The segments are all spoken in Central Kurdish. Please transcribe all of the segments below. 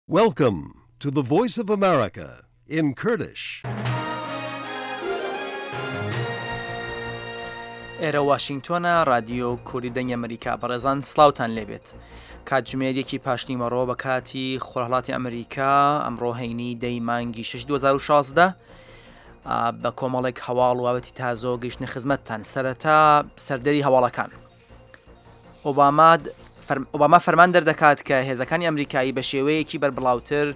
Welcome to the Voice of America in Kurdish. ئێرە واشنگتۆنە رادیۆ کوردی دەنگی ئەمریکا بەڕێزان سلااوان لێبێت کاتژمێر یەکی پاشنیوەڕۆ بە کاتی خۆرهڵاتی ئەمریکا ئەمڕۆ هەینی دەی مانگی 6 2016 بە کۆمەڵێک هەواڵ وابەتی تازۆ گەیشتنە خزمەتتان سەرەتا سەردەری هەواڵەکان. ئۆباما فەرمان دەردەکات کە هێزەکانی ئەمریکایی بە شێوەیەکی بەربڵاوتر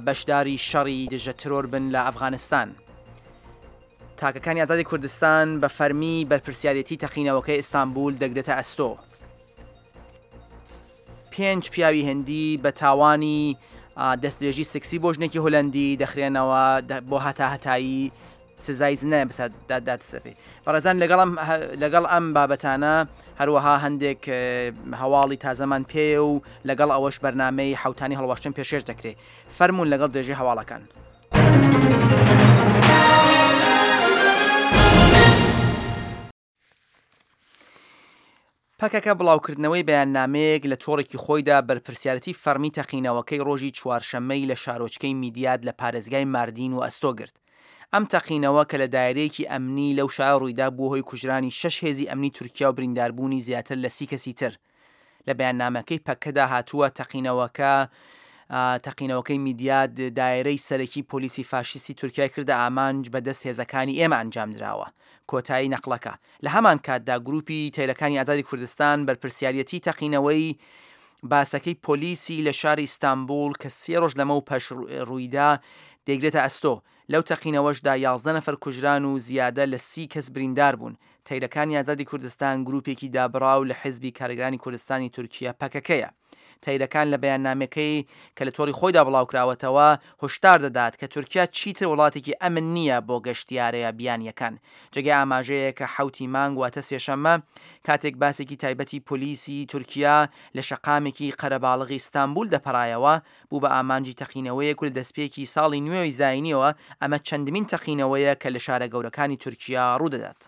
بەشداری شەڕی دژە ترۆر بن لە ئەفغانستان. تاکەکانی ئازادی کوردستان بە فەرمی بەرپرسیارێتی تەقینەوەکەی ئیستانبول دەگرێتە ئەستۆ. پێنج پیاوی هندی بە تاوانی دەستدرێژی سکسی بۆ ژنێکی هۆلەندی دەخرێنەوە بۆ هەتا هەتایی سزای زیندانیان بەسەردا دادسەپێ. بەڕێزان لەگەڵ ئەم لەگەڵ ئەم بابەتانە هەروەها هەندێک هەواڵی تازەمان پێیە و لەگەڵ ئەوەش بەرنامەی حوتانی هەڵواشتن پێشێش دەکرێت فەرمونون لەگەڵ درێژەی هەواڵەکان. پەکەکە بڵاوکردنەوەی بەیاننامەیەک لە تۆڕێکی خۆیدا بەرپرسیارەتی فەڕمی تەقینەوەکەی ڕۆژی چوارشەممەی لە شارۆچکەی میدیاد لە پارێزگای ماردین وەئەستۆ گرت. ئەم تەقینەوە کە لە دایرەیەکی ئەمنی لەو شارە ڕوویدا بووە هۆی کوژرانی شەش هێزی ئەمنی تورکیا و برینداربوونی زیاتر لە سی کەسی تر. لە بەیاننامەکەی پەکەدا هاتووە تەقینەوەکە تەقینەوەکەی میدیاد دایرەی سەرەکی پۆلیسی فاشیستی تورکیای کردە ئامانج بە دەست هێزەکانی ئێمە ئەنجامدراوە. کۆتایی نەقڵەکە. لە هەمان کاتدا گروپی تەیرەکانی ئازادی کوردستان بەرپرسیاریەتی تەقینەوەی باسەکەی پۆلیسی لە شاری ئیستانبوڵ کە سێ ڕۆژ لەمەو پەش ڕوویدا دەیگرێتە ئەستۆ. لەو تەقینەوەشدا 11 نەفەر کوژران و زیادە لە سی کەس بریندار بوون. تەیرەکانی ئازادی کوردستان گروپێکی دابڕاو لە حیزبی کارگەرانی کوردستانی تورکیە پەکەکەیە. تەیرەکان لە بەیاننامەکەی کە لە تۆڕی خۆیدا بڵاوکراوەتەوە، هۆشدار دەدات کە تورکیا چیتر وڵاتێکی ئەمن نییە بۆ گەشتیارە بیانییەکان. جێگای ئاماژەیە کە حەوتی مانگ واتە سێشەممە کاتێک باسێکی تایبەتی پۆلیسی تورکیا لە شەقامێکی قەرەباڵغی ئیستانبول دەپەڕایەوە، بوو بە ئامانجی تەقینەوەیەک و لە دەستپێکی ساڵی نوێی زایینیەوە ئەمە چەندمین تەقینەوەیە کە لە شارە گەورەکانی تورکیا ڕوودەدات.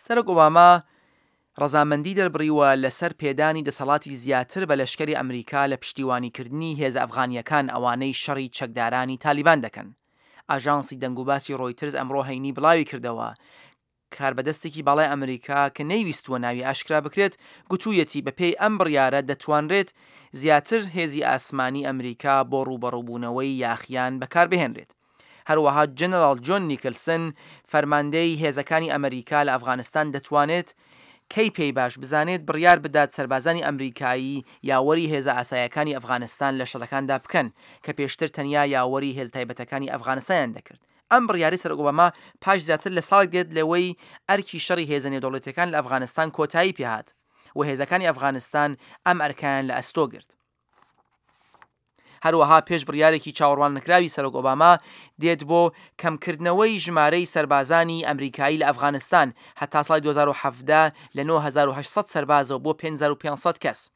سەرۆک ئۆباما ڕەزامەندی دەربڕیوە لەسەر پێدانی دەسەڵاتی زیاتر بە لەشکری ئەمریکا لە پشتیوانیکردنی هێزە ئەفغانییەکان ئەوانەی شەڕی چەکدارانی تالیبان دەکەن. ئاژانسی دەنگوباسی ڕۆیترز ئەمڕۆ هەینی بڵاویکردەوە، کاربەدەستێکی باڵای ئەمریکا کە نەیویستووە ناوی ئاشکرا بکرێت، گوتوویەتی بەپێی ئەم بڕیارە دەتوانرێت زیاتر هێزی ئاسمانی ئەمریکا بۆ ڕووبەڕووبوونەوەی یاخیان بەکاربهێنرێت. هەروەها جەنەراڵ جۆن نیکلسن، فەرماندەی هێزەکانی ئەمریکا لە ئەفغانستان دەتوانێت کەی پێی باش بزانێت بڕیار بدات سەربازانی ئەمریکایی یاوەری هێزە ئاسایەکانی ئەفغانستان لە شەڕەکاندا بکەن کە پێشتر تەنیا یاوەری هێزە تایبەتەکانی ئەفغانستانیان دەکرد. ئەم بڕیارەی سەرۆک ئۆباما پاش زیاتر لە ساڵێک دێت لەوەی ئەرکی شەڕی هێزە نێودەوڵەتییەکان لە ئەفغانستان کۆتایی پێهات و هێزەکانی ئەفغانستان ئەم ئەرکەیان لە ئەستۆ گرت. هەروەها پێش بڕیارێکی چاوەڕواننەکراوی سەرۆک ئۆباما دێت بۆ کەمکردنەوەی ژمارەی سەربازانی ئەمریکایی لە ئەفغانستان هەتا ساڵی 2017 لە 9800 سەربازەوە بۆ 5500 کەس.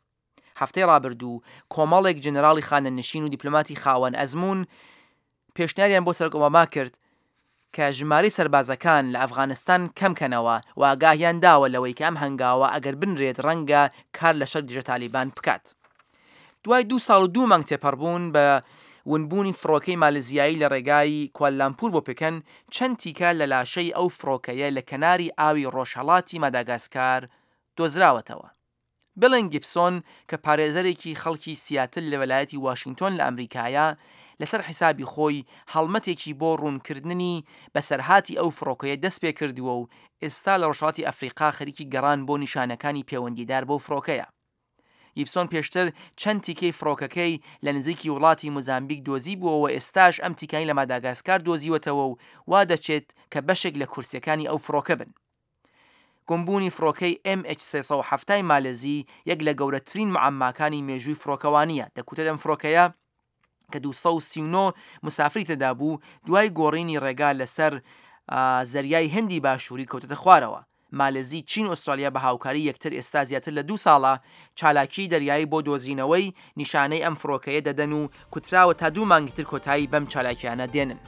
هەفتەی ڕابردوو کۆمەڵێک جەنەراڵی خانەنشین و دیپلۆماتی خاوەن ئەزموون پێشنیاریان بۆ سەرۆک ئۆباما کرد کە ژمارەی سەربازەکان لە ئەفغانستان کەم کەنەوە و ئاگاهیان داوە لەوەی کە ئەم هەنگاوە ئەگەر بنرێت ڕەنگە کار لە شەڕی دژە تالیبان بکات. دوای دوو ساڵ و دوو مانگ تێپەڕبوون بە ونبوونی فڕۆکەی مالزیایی لە ڕێگای کوالالامپور بۆ پکەن، چەند تیکە لە لاشەی ئەو فڕۆکەیە لە کەناری ئاوی ڕۆژهەڵاتی ماداگاسکار دۆزراوەتەوە. بلن گیبسۆن کە پارێزەرێکی خەڵکی سیاتل لە ویلایەتی واشینگتۆن لە ئەمریکایە، لەسەر حیسابی خۆی هەڵمەتێکی بۆ ڕوونکردنی بەسەرهاتی ئەو فڕۆکەیە دەستپێکردووە و ئێستا لە ڕۆژهەڵاتی ئەفریقا خەریکی گەڕان بۆ نیشانەکانی پێوەندیدار بەو فڕۆکەیە. گیبسۆن پێشتر چەند تیکەی فڕۆکەکەی لە نزیکی وڵاتی موزامبیک دۆزیبووەوە ئێستاش ئەم تیکانەی لە ماداگاسکار دۆزیوەتەوە و وا دەچێت کە بەشێک لە کورسییەکانی ئەو فڕۆکە بن. گومبوونی فڕۆکەی MH 370 ی مالزی یەک لە گەورەترین معەمماکانی مێژووی فڕۆکەوانییە، دەکوترێت ئەم فڕۆکەیە کە 239 مسافری تێدا بوو دوای گۆڕینی ڕێگا لەسەر زەریای هندی باشووری کەوتەتە خوارەوە. مالزی، چین و ئوسترالیا بە هاوکاری یەکتر ئێستا زیاتر لە دوو ساڵە چالاکیی دەریایی بۆ دۆزینەوەی نیشانەی ئەم فڕۆکەیە دەدەن و کوتراوە تا دوو مانگی تر کۆتایی بەم چالاکییانە دێنن.